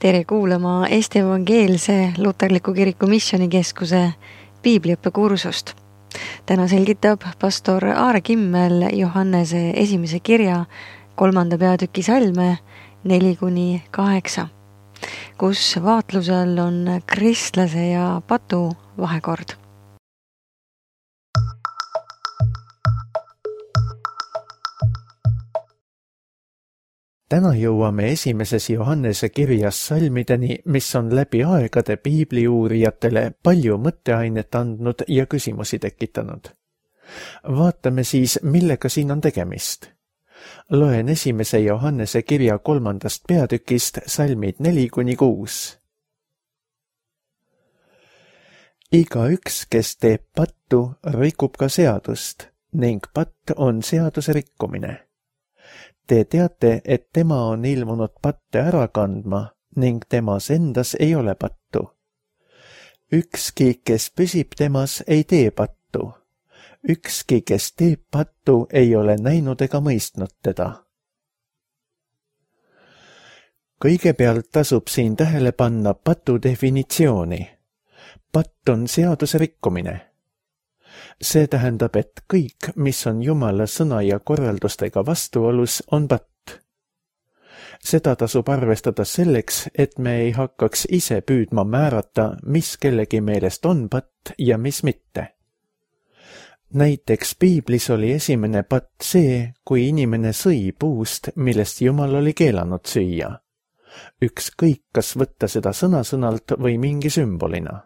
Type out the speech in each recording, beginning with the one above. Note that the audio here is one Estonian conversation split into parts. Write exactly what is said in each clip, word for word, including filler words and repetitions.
Tere kuulama Eesti Evangeelse Luterliku Kiriku Missioonikeskuse piibliõppekursust. Täna selgitab pastor Aare Kimmel Johannese esimese kirja kolmanda peatüki salme neli kuni kaheksa, kus vaatlusel on kristlase ja patu vahekord. Täna jõuame esimeses Johannese kirjas salmideni, mis on läbi aegade piibliuurijatele palju mõtteainet andnud ja küsimusi tekitanud. Vaatame siis, millega siin on tegemist. Loen esimese Johannese kirja kolmandast peatükist salmid neli kuni kuus. Iga üks, kes teeb pattu, rikub ka seadust, ning patt on seaduse rikkumine. Te teate, et tema on ilmunud patte ära kandma ning temas endas ei ole pattu. Ükski, kes püsib temas, ei tee pattu. Ükski, kes teeb pattu, ei ole näinud ega mõistnud teda. Kõigepealt tasub siin tähele panna patu definitsiooni. Patt on seaduse rikkumine. See tähendab, et kõik, mis on Jumala sõna ja korraldustega vastuolus, on patt. Seda tasub arvestada selleks, et me ei hakkaks ise püüdma määrata, mis kellegi meelest on patt ja mis mitte. Näiteks piiblis oli esimene patt see, kui inimene sõi puust, millest Jumal oli keelanud süüa. Ükskõik, kas võtta seda sõna-sõnalt või mingi sümbolina.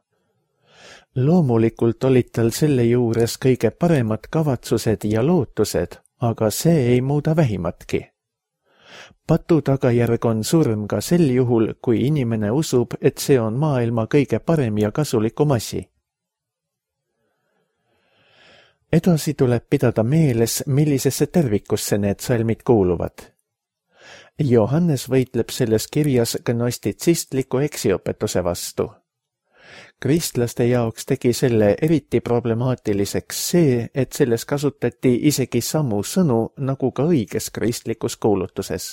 Loomulikult olid tal selle juures kõige paremad kavatsused ja lootused, aga see ei muuda vähimatki. Patu tagajärg on surm ka sel juhul, kui inimene usub, et see on maailma kõige parem ja kasulikum asi. Edasi tuleb pidada meeles, millisesse tervikusse need salmid kuuluvad. Johannes võitleb selles kirjas gnostitsistliku eksiõpetuse vastu. Kristlaste jaoks tegi selle eriti problemaatiliseks see, et selles kasutati isegi samu sõnu nagu ka õiges kristlikus kuulutuses.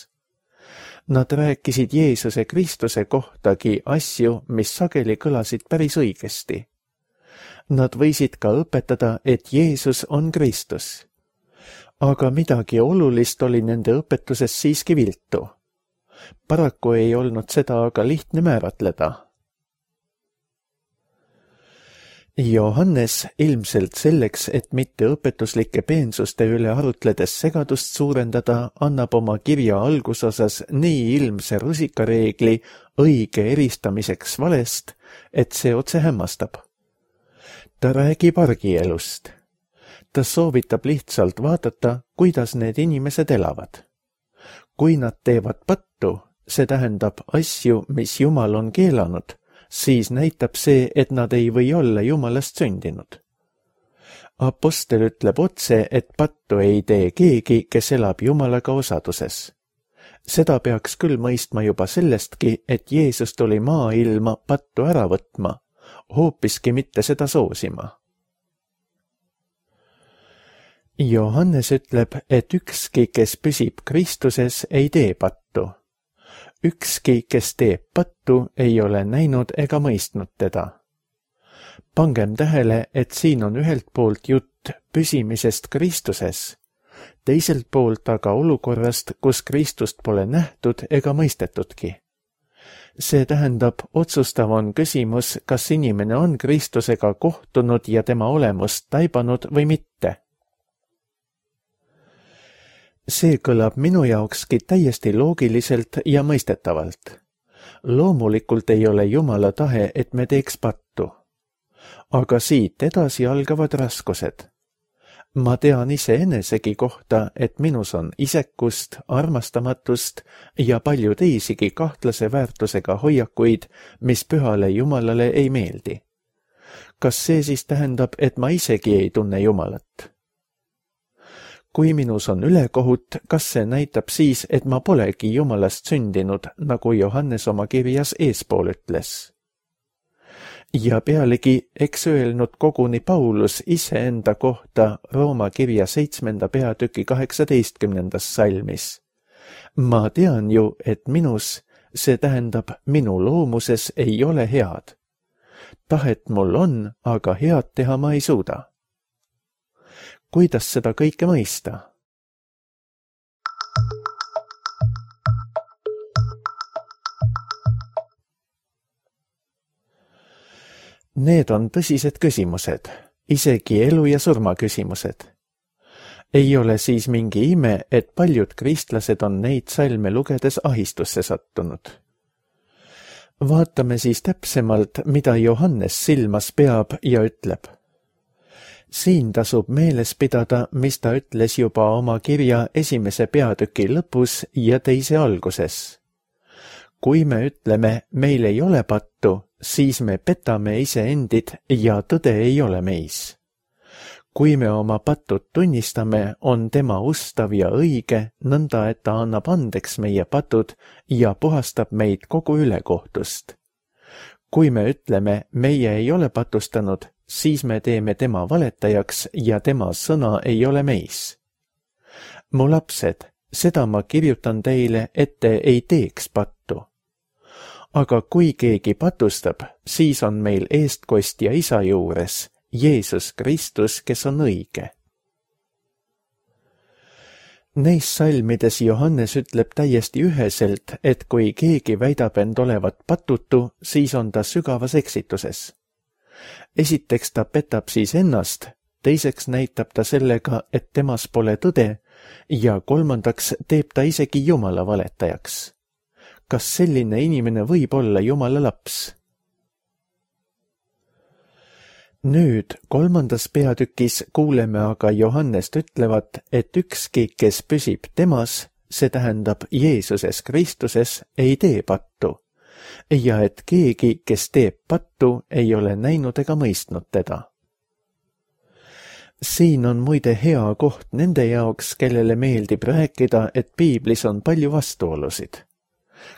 Nad rääkisid Jeesuse Kristuse kohtagi asju, mis sageli kõlasid päris õigesti. Nad võisid ka õpetada, et Jeesus on Kristus. Aga midagi olulist oli nende õpetuses siiski viltu. Paraku ei olnud seda aga lihtne määratleda. Johannes ilmselt selleks, et mitte õpetuslike peensuste üle arutledes segadust suurendada, annab oma kirja algusosas nii ilmse rusikareegli õige eristamiseks valest, et see otse hämmastab. Ta räägib argielust. Ta soovitab lihtsalt vaadata, kuidas need inimesed elavad. Kui nad teevad pattu, see tähendab asju, mis Jumal on keelanud, siis näitab see, et nad ei või olla Jumalast sündinud. Apostel ütleb otse, et pattu ei tee keegi, kes elab Jumalaga osaduses. Seda peaks küll mõistma juba sellestki, et Jeesus tuli maailma pattu ära võtma, hoopiski mitte seda soosima. Johannes ütleb, et ükski, kes püsib Kristuses, ei tee pattu. Ükski, kes teeb pattu, ei ole näinud ega mõistnud teda. Pangem tähele, et siin on ühelt poolt jutt püsimisest Kristuses, teiselt poolt aga olukorrast, kus Kristust pole nähtud ega mõistetudki. See tähendab, otsustav on küsimus, kas inimene on Kristusega kohtunud ja tema olemust taibanud või mitte. See kõlab minu jaokski täiesti loogiliselt ja mõistetavalt. Loomulikult ei ole Jumala tahe, et me teeks pattu. Aga siit edasi algavad raskused. Ma tean ise enesegi kohta, et minus on isekust, armastamatust ja palju teisigi kahtlase väärtusega hoiakuid, mis pühale Jumalale ei meeldi. Kas see siis tähendab, et ma isegi ei tunne Jumalat? Kui minus on ülekohut, kas see näitab siis, et ma polegi Jumalast sündinud, nagu Johannes oma kirjas eespool ütles? Ja pealegi, eks öelnud koguni Paulus iseenda kohta Rooma kirja seitsmenda peatüki kaheksateistkümnendas salmis. Ma tean ju, et minus, see tähendab, minu loomuses ei ole head. Tahet mul on, aga head teha ma ei suuda. Kuidas seda kõike mõista? Need on tõsised küsimused, isegi elu ja surma küsimused. Ei ole siis mingi ime, et paljud kristlased on neid salme lugedes ahistusse sattunud. Vaatame siis täpsemalt, mida Johannes silmas peab ja ütleb. Siin tasub meeles pidada, mis ta ütles juba oma kirja esimese peatüki lõpus ja teise alguses. Kui me ütleme, meil ei ole pattu, siis me petame iseendid ja tõde ei ole meis. Kui me oma patud tunnistame, on tema ustav ja õige, nõnda et ta annab andeks meie patud ja puhastab meid kogu ülekohtust. Kui me ütleme, meie ei ole patustanud, siis me teeme tema valetajaks ja tema sõna ei ole meis. Mu lapsed, seda ma kirjutan teile, et te ei teeks pattu. Aga kui keegi patustab, siis on meil eestkostja isa juures, Jeesus Kristus, kes on õige. Neis salmides Johannes ütleb täiesti üheselt, et kui keegi väidab end olevat patutu, siis on ta sügavas eksituses. Esiteks ta petab siis ennast, teiseks näitab ta sellega, et temas pole tõde ja kolmandaks teeb ta isegi Jumala valetajaks. Kas selline inimene võib olla Jumala laps? Nüüd kolmandas peatükis kuuleme aga Johannest ütlevat, et ükski, kes püsib temas, see tähendab Jeesuses Kristuses, ei tee pattu, ja et keegi, kes teeb pattu, ei ole näinud ega mõistnud teda. Siin on muide hea koht nende jaoks, kellele meeldib rääkida, et piiblis on palju vastuolusid.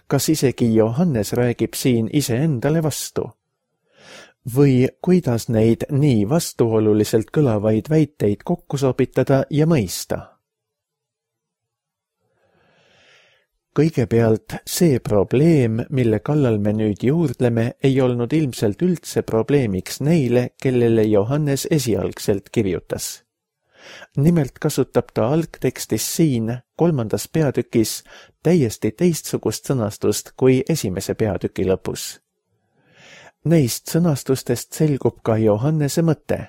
Kas isegi Johannes räägib siin iseendale vastu? Või kuidas neid nii vastuoluliselt kõlavaid väiteid kokku sobitada ja mõista? Kõigepealt see probleem, mille kallal me nüüd juurdleme, ei olnud ilmselt üldse probleemiks neile, kellele Johannes esialgselt kirjutas. Nimelt kasutab ta algtekstis siin, kolmandas peatükis, täiesti teistsugust sõnastust kui esimese peatüki lõpus. Neist sõnastustest selgub ka Johannese mõte.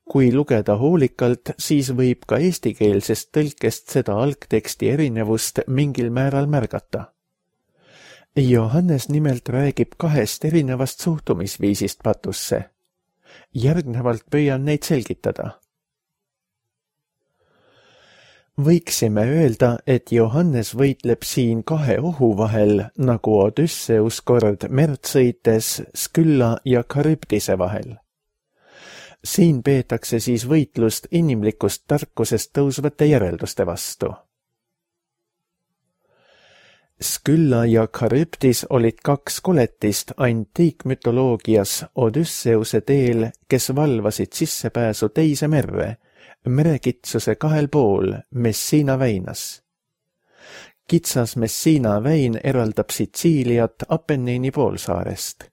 Kui lugeda hoolikalt, siis võib ka eestikeelsest tõlkest seda algteksti erinevust mingil määral märgata. Johannes nimelt räägib kahest erinevast suhtumisviisist patusse. Järgnevalt püüan neid selgitada. Võiksime öelda, et Johannes võitleb siin kahe ohu vahel, nagu Odüsseus kord merd sõites Skylla ja Charybdise vahel. Siin peetakse siis võitlust inimlikust tarkusest tõusvate järelduste vastu. Skylla ja Charybdis olid kaks koletist antiikmütoloogias Odüsseuse teel, kes valvasid sissepääsu teise merre, merekitsuse kahel pool Messina väinas. Kitsas Messina väin eraldab Sitsiiliat Apennini poolsaarest.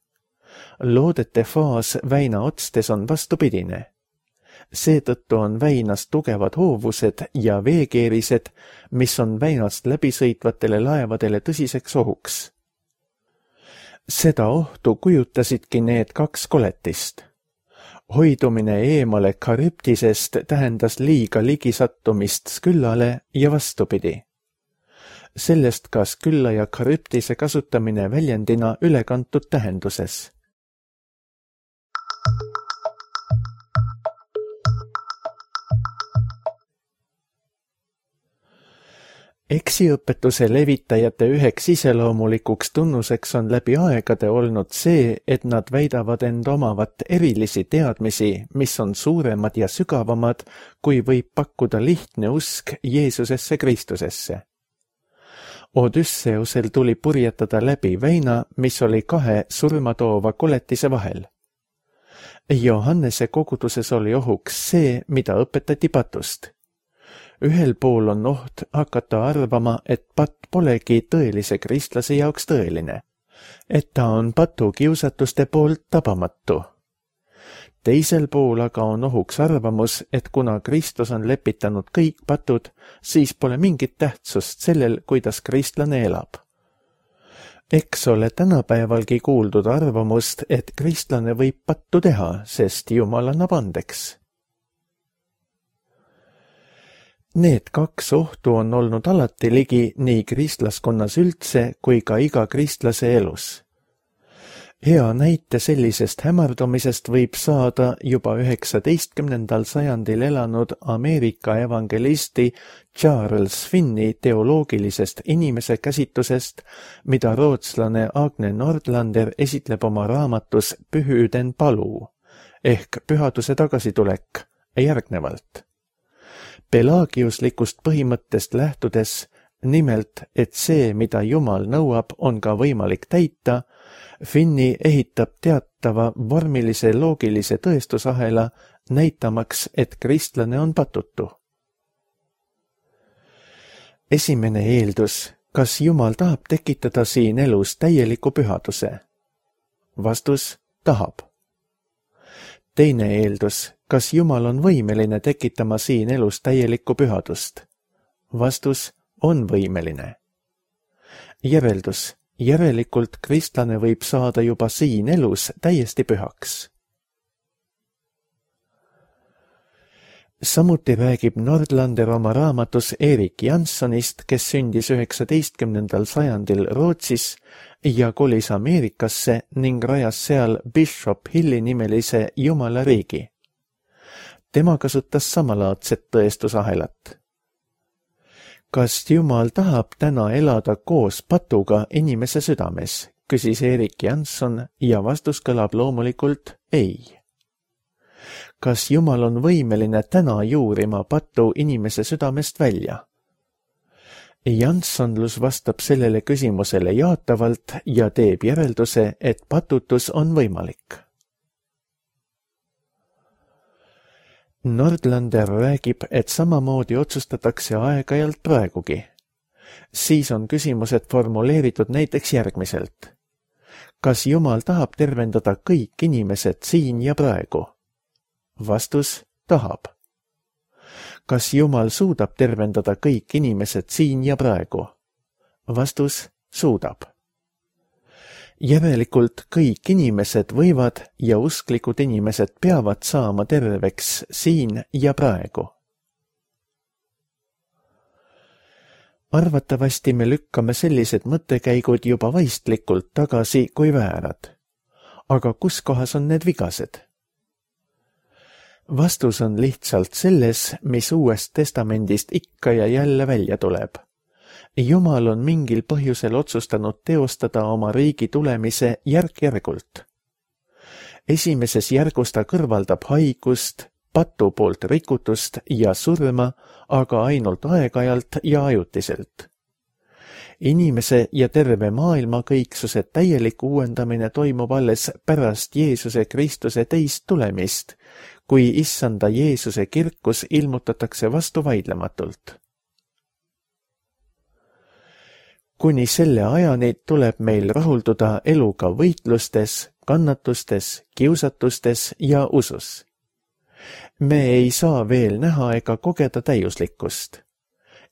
Loodete faas väina otstes on vastupidine. Seetõttu on väinas tugevad hoovused ja veekeerised, mis on väinast läbisõitvatele laevadele tõsiseks ohuks. Seda ohtu kujutasidki need kaks koletist. Hoidumine eemale Charybdisest tähendas liiga ligisattumist Skyllale ja vastupidi. Sellest ka Skylla ja Charybdise kasutamine väljendina ülekantud tähenduses. Eksiõpetuse levitajate üheks iseloomulikuks tunnuseks on läbi aegade olnud see, et nad väidavad end omavat erilisi teadmisi, mis on suuremad ja sügavamad, kui võib pakkuda lihtne usk Jeesusesse Kristusesse. Odüsseusel tuli purjetada läbi väina, mis oli kahe surmatoova koletise vahel. Johannese koguduses oli ohuks see, mida õpetati patust. ühel pool on oht hakata arvama, et patt polegi tõelise kristlase jaoks tõeline, et ta on patu kiusatuste poolt tabamatu. Teisel pool aga on ohuks arvamus, et kuna Kristus on lepitanud kõik patud, siis pole mingit tähtsust sellel, kuidas kristlane elab. Eks ole tänapäevalgi kuuldud arvamust, et kristlane võib pattu teha, sest Jumal annab andeks. Need kaks ohtu on olnud alati ligi nii kristlaskonnas üldse kui ka iga kristlase elus. Hea näite sellisest hämardumisest võib saada juba üheksateistkümnendal sajandil elanud Ameerika evangelisti Charles Finney teoloogilisest inimese käsitusest, mida rootslane Agne Nordlander esitleb oma raamatus Pühyyden paluu ehk pühaduse tagasitulek järgnevalt. Pelagiuslikust põhimõttest lähtudes, nimelt, et see, mida Jumal nõuab, on ka võimalik täita, Finney ehitab teatava vormilise loogilise tõestusahela, näitamaks, et kristlane on patutu. Esimene eeldus, kas Jumal tahab tekitada siin elus täieliku pühaduse? Vastus, tahab. Teine eeldus, kas Jumal on võimeline tekitama siin elus täielikku pühadust? Vastus, on võimeline. Järeldus, järelikult kristlane võib saada juba siin elus täiesti pühaks. Samuti räägib Nordlander oma raamatus Erik Janssonist, kes sündis üheksateistkümnendal sajandil Rootsis ja kolis Ameerikasse ning rajas seal Bishop Hilli nimelise Jumala riigi. Tema kasutas samalaadset tõestusahelat. Kas Jumal tahab täna elada koos patuga inimese südames, küsis Erik Jansson ja vastus kõlab loomulikult ei. Kas Jumal on võimeline täna juurima patu inimese südamest välja? Janssonlus vastab sellele küsimusele jaatavalt ja teeb järelduse, et patutus on võimalik. Nordlander räägib, et samamoodi otsustatakse aeg-ajalt praegugi. Siis on küsimused formuleeritud näiteks järgmiselt. Kas Jumal tahab tervendada kõik inimesed siin ja praegu? Vastus, tahab. Kas Jumal suudab tervendada kõik inimesed siin ja praegu? Vastus, suudab. Järelikult kõik inimesed võivad ja usklikud inimesed peavad saama terveks siin ja praegu. Arvatavasti me lükkame sellised mõttekäigud juba vaistlikult tagasi kui väärad. Aga kus kohas on need vigased? Vastus on lihtsalt selles, mis Uuest Testamendist ikka ja jälle välja tuleb. Jumal on mingil põhjusel otsustanud teostada oma riigi tulemise järk-järgult. Esimeses järgus ta kõrvaldab haigust, patu poolt rikutust ja surma, aga ainult aeg-ajalt ja ajutiselt. Inimese ja terve maailma kõiksuse täielik uuendamine toimub alles pärast Jeesuse Kristuse teist tulemist, kui issanda Jeesuse kirkus ilmutatakse vastu vaidlematult. Kuni selle ajani tuleb meil rahulduda eluga võitlustes, kannatustes, kiusatustes ja usus. Me ei saa veel näha ega kogeda täiuslikkust.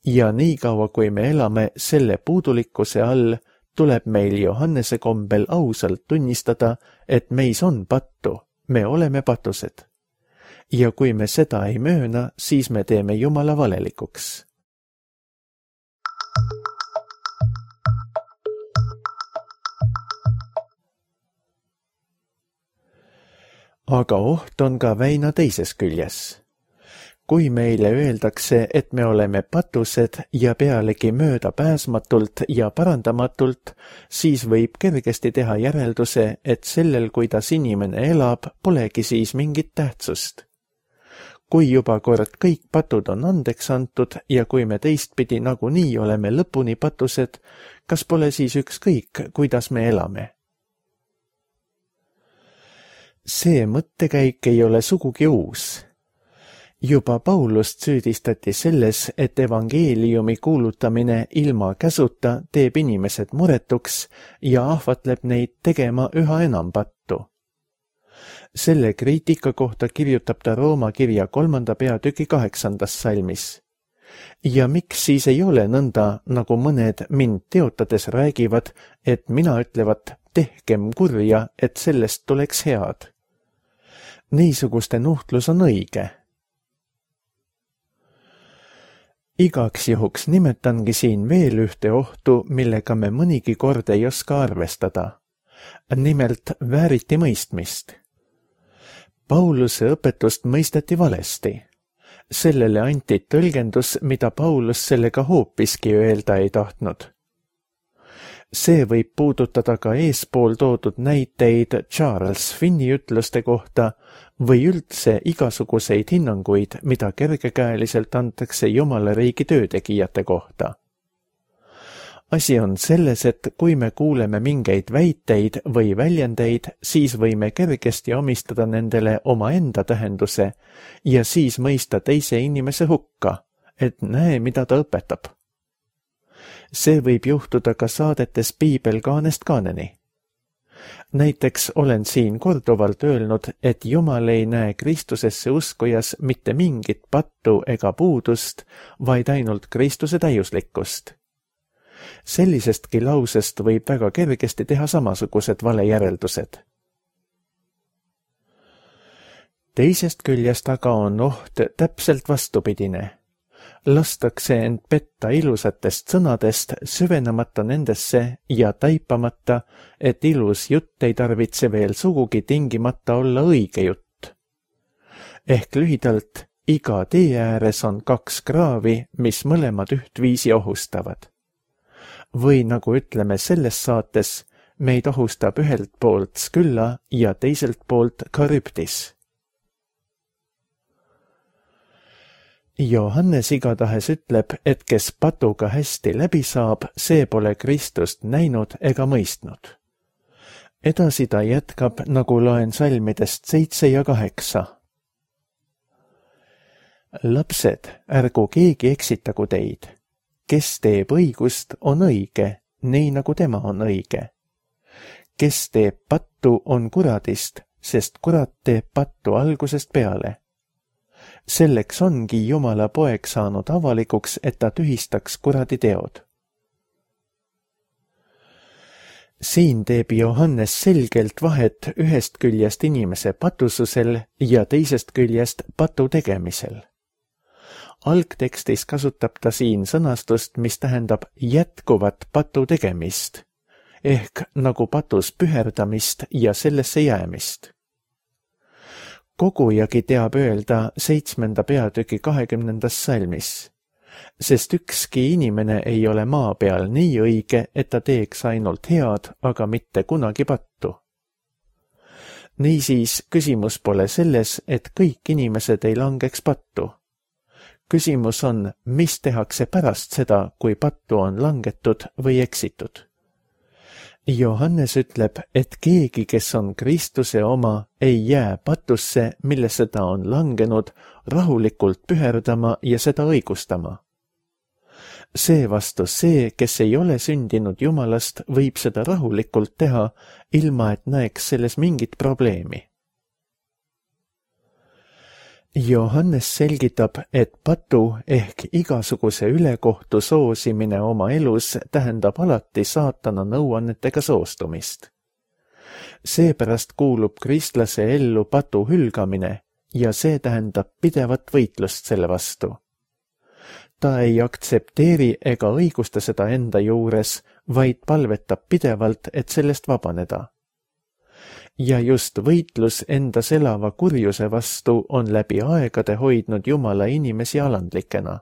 Ja niikaua, kui me elame selle puudulikkuse all, tuleb meil Johannese kombel ausalt tunnistada, et meis on pattu, me oleme patused. Ja kui me seda ei mööna, siis me teeme Jumala valelikuks. Aga oht on ka väina teises küljes. Kui meile öeldakse, et me oleme patused ja pealegi möödapääsmatult ja parandamatult, siis võib kergesti teha järelduse, et sellel, kuidas inimene elab, polegi siis mingit tähtsust. Kui juba kord kõik patud on andeks antud ja kui me teistpidi nagunii oleme lõpuni patused, kas pole siis ükskõik, kuidas me elame? See mõttekäik ei ole sugugi uus. Juba Paulust süüdistati selles, et evangeeliumi kuulutamine ilma käsuta teeb inimesed muretuks ja ahvatleb neid tegema üha enam pattu. Selle kriitika kohta kirjutab ta Rooma kirja kolmanda peatüki kaheksandas salmis. Ja miks siis ei ole nõnda, nagu mõned mind teotades räägivad, et mina ütlevat, tehkem kurja, et sellest tuleks head. Niisuguste nuhtlus on õige. Igaks juhuks nimetangi siin veel ühte ohtu, millega me mõnigi kord ei oska arvestada. Nimelt vääriti mõistmist. Pauluse õpetust mõisteti valesti. Sellele anti tõlgendus, mida Paulus sellega hoopiski öelda ei tahtnud. See võib puudutada ka eespool toodud näiteid Charles Finni ütluste kohta või üldse igasuguseid hinnanguid, mida kergekäeliselt antakse Jumala riigi töötegijate kohta. Asi on selles, et kui me kuuleme mingeid väiteid või väljendeid, siis võime kergesti omistada nendele omaenda tähenduse ja siis mõista teise inimese hukka, et näe, mida ta õpetab. See võib juhtuda ka saadetes Piibel kaanest kaaneni. Näiteks olen siin korduvalt öelnud, et Jumal ei näe Kristusesse uskujas mitte mingit pattu ega puudust, vaid ainult Kristuse täiuslikkust. Sellisestki lausest võib väga kergesti teha samasugused valejäreldused. Teisest küljest aga on oht täpselt vastupidine. Lastakse end petta ilusatest sõnadest, süvenemata nendesse ja taipamata, et ilus jutt ei tarvitse veel sugugi tingimata olla õige jutt. Ehk lühidalt, iga tee ääres on kaks kraavi, mis mõlemad ühtviisi ohustavad. Või nagu ütleme selles saates, meid ohustab ühelt poolt Skylla ja teiselt poolt Charybdis. Johannes igatahes ütleb, et kes patuga hästi läbi saab, see pole Kristust näinud ega mõistnud. Edasi ta jätkab, nagu loen salmidest seitse ja kaheksa. Lapsed, ärgu keegi eksitagu teid. Kes teeb õigust, on õige, nii nagu tema on õige. Kes teeb pattu, on kuradist, sest kurat teeb pattu algusest peale. Selleks ongi Jumala poeg saanud avalikuks, et ta tühistaks kuradi teod. Siin teeb Johannes selgelt vahet ühest küljest inimese patususel ja teisest küljest patu tegemisel. Algtekstis kasutab ta siin sõnastust, mis tähendab jätkuvat patu tegemist, ehk nagu patus püherdamist ja sellesse jäämist. Kogujagi teab öelda seitsmenda peatüki kahekümnendas salmis, sest ükski inimene ei ole maa peal nii õige, et ta teeks ainult head, aga mitte kunagi pattu. Niisiis, küsimus pole selles, et kõik inimesed ei langeks pattu. Küsimus on, mis tehakse pärast seda, kui pattu on langetud või eksitud. Johannes ütleb, et keegi, kes on Kristuse oma, ei jää patusse, millesse ta on langenud, rahulikult püherdama ja seda õigustama. Seevastu see, kes ei ole sündinud Jumalast, võib seda rahulikult teha, ilma et näeks selles mingit probleemi. Johannes selgitab, et patu ehk igasuguse ülekohtu soosimine oma elus tähendab alati saatana nõuannetega soostumist. Seepärast kuulub kristlase ellu patu hülgamine ja see tähendab pidevat võitlust selle vastu. Ta ei aktsepteeri ega õigusta seda enda juures, vaid palvetab pidevalt, et sellest vabaneda. Ja just võitlus endas elava kurjuse vastu on läbi aegade hoidnud Jumala inimesi alandlikena.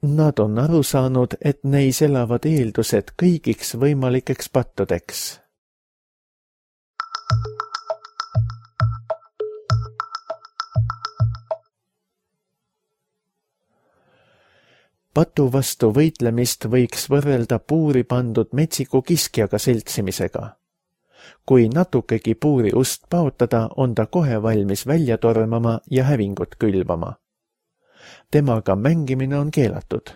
Nad on aru saanud, et neis elavad eeldused kõigiks võimalikeks pattudeks. Patu vastu võitlemist võiks võrrelda puuri pandud metsiku kiskjaga seltsimisega. Kui natukegi puuri ust paotada, on ta kohe valmis välja tormama ja hävingut külvama. temaga mängimine on keelatud.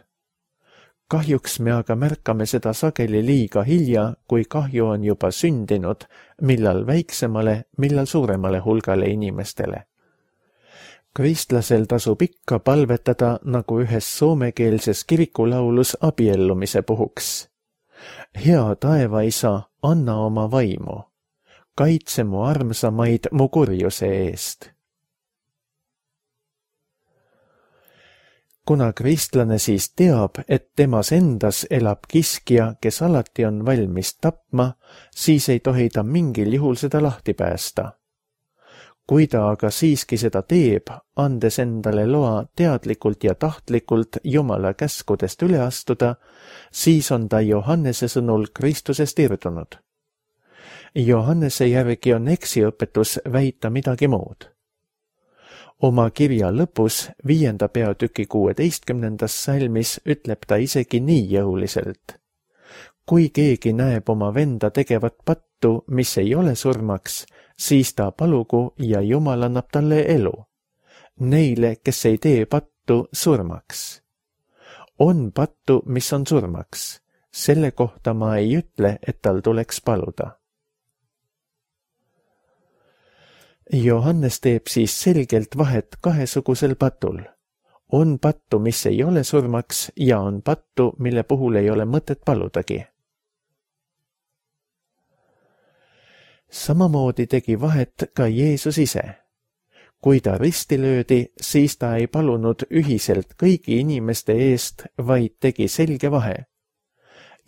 Kahjuks me aga märkame seda sageli liiga hilja, kui kahju on juba sündinud, millal väiksemale, millal suuremale hulgale inimestele. Kristlasel tasub ikka palvetada nagu ühes soomekeelses kirikulaulus abiellumise puhuks. Hea taevaisa, anna oma vaimu, kaitse mu armsamaid mu kurjuse eest. Kuna kristlane siis teab, et temas endas elab kiskja, kes alati on valmis tapma, siis ei tohi ta mingil juhul seda lahti päästa. Kui ta aga siiski seda teeb, andes endale loa teadlikult ja tahtlikult Jumala käskudest üle astuda, siis on ta Johannese sõnul Kristusest irdunud. Johannese järgi on eksiõpetus väita midagi muud. Oma kirja lõpus, viienda peatüki kuueteistkümnendas salmis, ütleb ta isegi nii jõuliselt. Kui keegi näeb oma venda tegevat pattu, mis ei ole surmaks, siis ta palugu ja Jumal annab talle elu. Neile, kes ei tee pattu surmaks. On pattu, mis on surmaks. Selle kohta ma ei ütle, et tal tuleks paluda. Johannes teeb siis selgelt vahet kahesugusel patul. On pattu, mis ei ole surmaks, ja on pattu, mille puhul ei ole mõtet paludagi. Samamoodi tegi vahet ka Jeesus ise. Kui ta risti löödi, siis ta ei palunud ühiselt kõigi inimeste eest, vaid tegi selge vahe.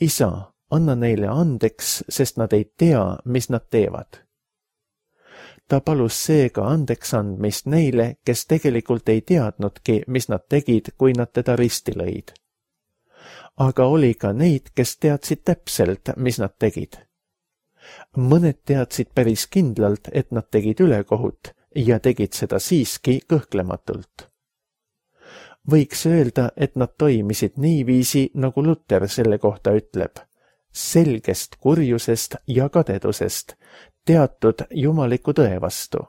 Isa, anna neile andeks, sest nad ei tea, mis nad teevad. Ta palus seega andeks andmist neile, kes tegelikult ei teadnudki, mis nad tegid, kui nad teda risti lõid. Aga oli ka neid, kes teadsid täpselt, mis nad tegid. Mõned teadsid päris kindlalt, et nad tegid ülekohut ja tegid seda siiski kõhklematult. Võiks öelda, et nad toimisid niiviisi, nagu Luter selle kohta ütleb. Selgest kurjusest ja kadedusest, teatud jumaliku tõe vastu.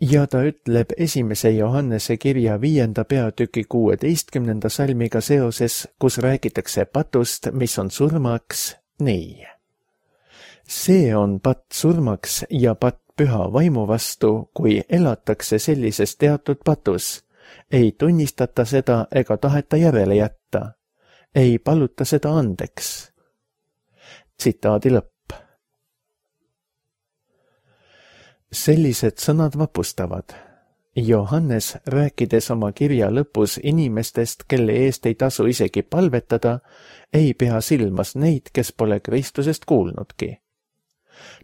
Ja ta ütleb esimese Johannese kirja viienda peatüki kuueteistkümnenda salmiga seoses, kus räägitakse patust, mis on surmaks, nii. See on patt surmaks ja patt püha vaimu vastu, kui elatakse sellises teatud patus. Ei tunnistata seda ega taheta järele jätta. Ei paluta seda andeks. Tsitaadi lõpp. Sellised sõnad vapustavad. Johannes, rääkides oma kirja lõpus inimestest, kelle eest ei tasu isegi palvetada, ei pea silmas neid, kes pole Kristusest kuulnudki.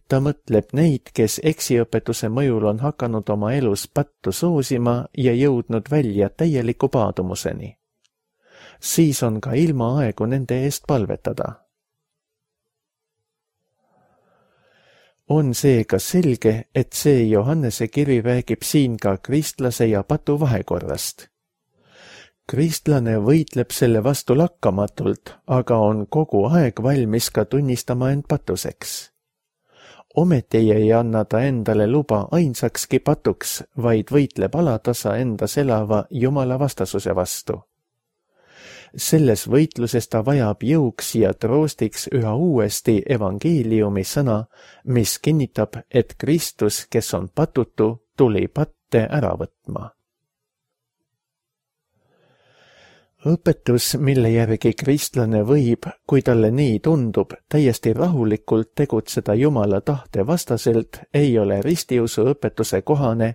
Ta mõtleb neid, kes eksiõpetuse mõjul on hakanud oma elus pattu soosima ja jõudnud välja täieliku paadumuseni. Siis on ka ilma aegu nende eest palvetada. On seega selge, et see Johannese kiri räägib siin ka kristlase ja patu vahekorrast. Kristlane võitleb selle vastu lakkamatult, aga on kogu aeg valmis ka tunnistama end patuseks. Ometi ei anna ta endale luba ainsakski patuks, vaid võitleb alatasa endas elava Jumala vastasuse vastu. Selles võitluses ta vajab jõuks ja troostiks üha uuesti evangeeliumi sõna, mis kinnitab, et Kristus, kes on patutu, tuli patte ära võtma. Õpetus, mille järgi kristlane võib, kui talle nii tundub, täiesti rahulikult tegutseda Jumala tahte vastaselt, ei ole ristiusu õpetuse kohane,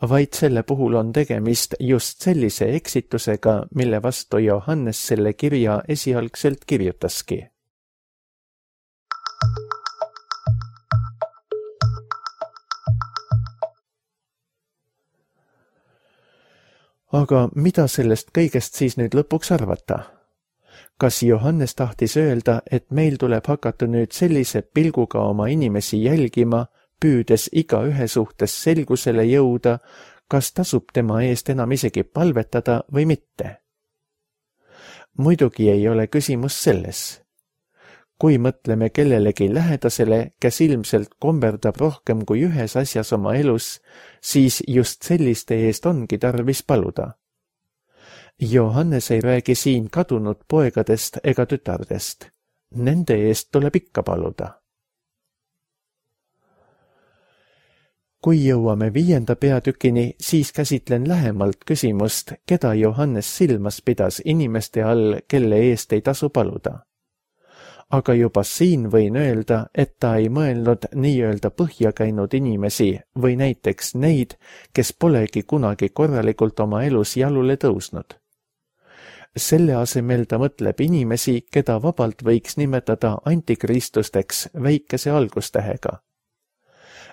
vaid selle puhul on tegemist just sellise eksitusega, mille vastu Johannes selle kirja esialgselt kirjutaski. Aga mida sellest kõigest siis nüüd lõpuks arvata? Kas Johannes tahtis öelda, et meil tuleb hakata nüüd sellise pilguga oma inimesi jälgima, püüdes iga ühe suhtes selgusele jõuda, kas tasub tema eest enam isegi palvetada või mitte? Muidugi ei ole küsimus selles. Kui mõtleme kellelegi lähedasele, kes ilmselt komberdab rohkem kui ühes asjas oma elus, siis just selliste eest ongi tarvis paluda. Johannes ei räägi siin kadunud poegadest ega tütardest. Nende eest tuleb ikka paluda. Kui jõuame viienda peatükini, siis käsitlen lähemalt küsimust, keda Johannes silmas pidas inimeste all, kelle eest ei tasu paluda. Aga juba siin võin öelda, et ta ei mõelnud nii-öelda põhja käinud inimesi või näiteks neid, kes polegi kunagi korralikult oma elus jalule tõusnud. Selle asemel ta mõtleb inimesi, keda vabalt võiks nimetada antikristusteks väikese algustähega.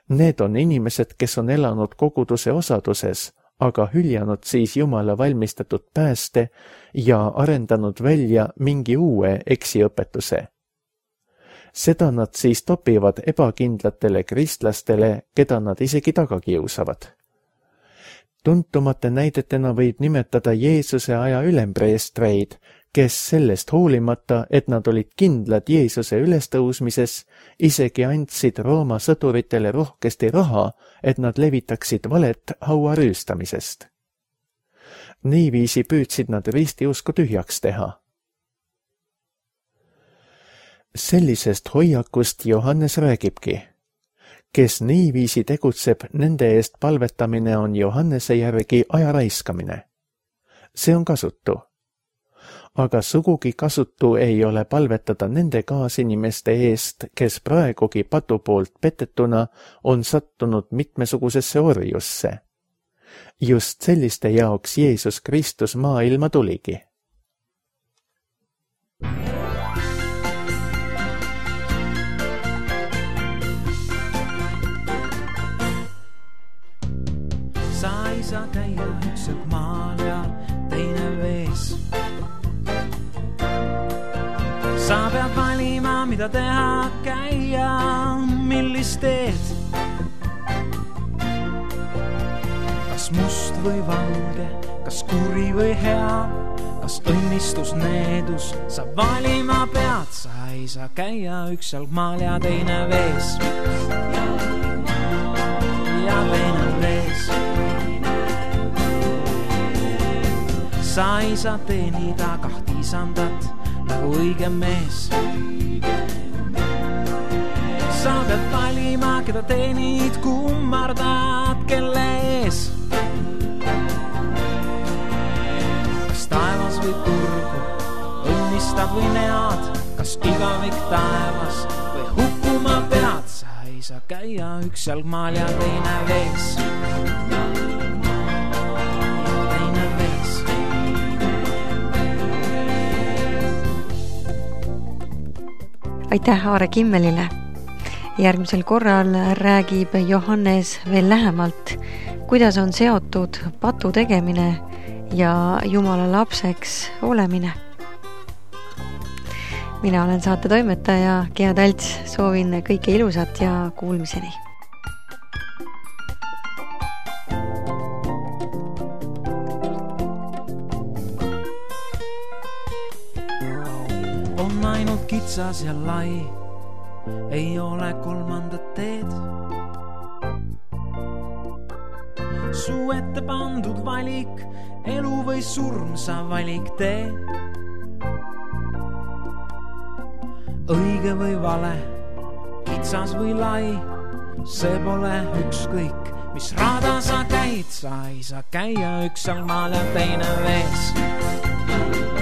Need on inimesed, kes on elanud koguduse osaduses, aga hüljanud siis Jumala valmistatud pääste ja arendanud välja mingi uue eksiõpetuse. Seda nad siis topivad ebakindlatele kristlastele, keda nad isegi taga kiusavad. Tuntumate näidetena võib nimetada Jeesuse aja ülempreestreid, kes sellest hoolimata, et nad olid kindlad Jeesuse ülestõusmises, isegi andsid Rooma sõduritele rohkesti raha, et nad levitaksid valet haua rüüstamisest. Niiviisi püüdsid nad ristiusku tühjaks teha. Sellisest hoiakust Johannes räägibki. Kes niiviisi tegutseb, nende eest palvetamine on Johannese järgi aja raiskamine. See on kasutu. Aga sugugi kasutu ei ole palvetada nende kaasinimeste eest, kes praegugi patu poolt petetuna on sattunud mitmesugusesse orjusse. Just selliste jaoks Jeesus Kristus maailma tuligi. Sa ei saa käia ükselt maal ja teine vees. Sa pead valima, mida teha, käia, millist teed. Kas must või valge, kas kuri või hea, kas õnnistus, needus, sa valima pead. Sa ei saa käia ükselt maal ja teine vees. Ja teine vees. Sa ei saa teenida kahti isandat nagu õige mees. Sa pead valima, keda teenid, kummardad, kelle ees. Kas taevas või turgu, õnnistad või nead, kas igavik taevas või hukkuma pead. Sa ei saa käia üks jalgmaal ja teine vees. Aitäh Aare Kimmelile. Järgmisel korral räägib Johannes veel lähemalt, kuidas on seotud patu tegemine ja Jumala lapseks olemine. Mina olen saate toimetaja Gea Talts, soovin kõike ilusat ja kuulmiseni. On ainult kitsas ja lai, ei ole kolmandat teed. Su ette pandud valik, elu või surm, sa valik tee. Õige või vale, kitsas või lai, see pole ükskõik, mis rada sa käid. Sa ei saa käia üks jalgmaal ja teine vees.